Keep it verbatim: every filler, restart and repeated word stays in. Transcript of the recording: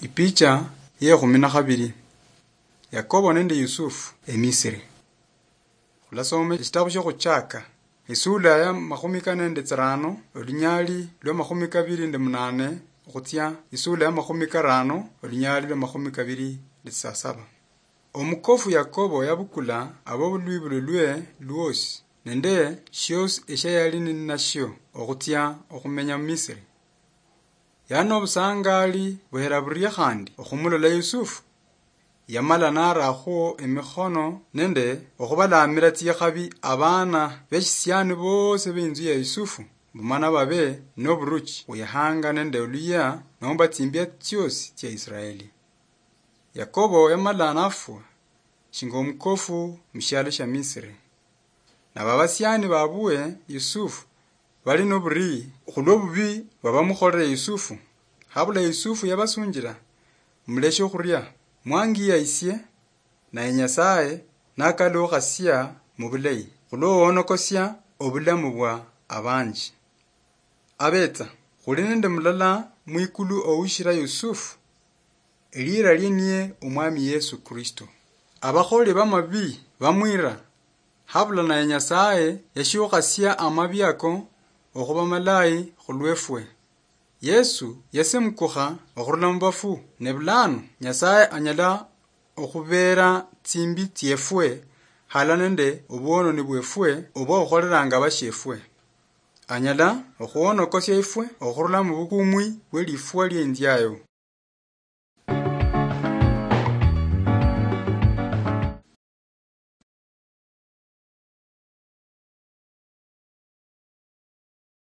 Ipicha ye khumi na khabili. Yakobo nende Yusufu eMisiri. Khulasoma eshitabu shio Khuchaka, isula ya makhumi kane nende tsirano, olunyali lwa makhumi kabili nende munane, okhutsia isula ya makhumi karano, olunyali lwa makhumi kabili nende tsisasaba. Omukofu Yakobo yabukula abobulwibululwe lwosi, nende shiosi eshia yali ninashio okhutsia okhumenya muMisiri. Yali nobusangali buhela burie khandi okhumulola Yusufu. Yamala narakhwo emikhono nende okhubalamira tsikhabi abana beshisiani bosi beinzu ya Yusufu, mbu mana babe noburuchi, bwihanga nende oluyia nomba tsimbia tsiosi tsia Israeli. Yakobo yamala nafwa shinga omukofu mushialo shia Misiri. Nabo abasiani babwe Yusufu bali noburii khulwo bubii bwabamukholere Yusufu. Habula Yusufu yabasunjila, "Muleshe okhuria, mwangiya isie, naye Nyasaye nakalukhasia mubulayi, khulwo owonokosia obulamu bwa abanji." Abetsa, khuli nende mulala mwikulu oushira Yusufu, elira lie niye Omwami Yesu Kristo. Abakholi bamabii bamwira, habula naye Nyasaye yashiukhasia amabii ako okhuba malayi khulwefwe. Yesu yasemukukha okhurula mubafu, ne bulano Nyasaye anyala okhubeera tsimbi tsiefwe, hala nende obwononi bwefwe obwakhukholelanga abashiefwe. Anyala okhuonokosia ifwe okhurula mubukumwi bwelifwa lienziayo.